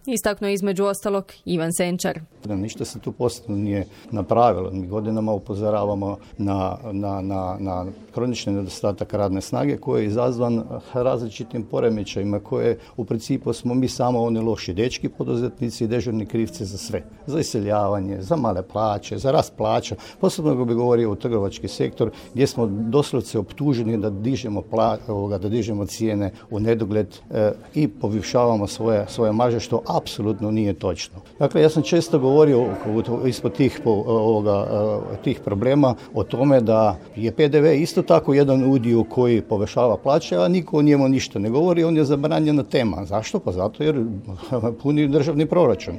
istaknuo između ostalog Ivan Senčar. Ništa se tu posebno nije napravilo. Mi godinama upozoravamo na kronični nedostatak radne snage koji je izazvan različitim poremećajima koje u principu smo mi samo oni loši dečki poduzetnici i dežurni krivci za sve. Za iseljavanje, za male plaće, za rast plaća. Posebno bih govorio u trgovački sektor gdje smo doslovce optuženi da dižemo cijene u nedogled i povišavamo svoje marže, što apsolutno nije točno. Dakle, ja sam često govorio ispod tih problema o tome da je PDV isto tako jedan udio koji povećava plaće, a niko o njemu ništa ne govori, on je zabranjena tema. Zašto? Pa zato jer puni državni proračun.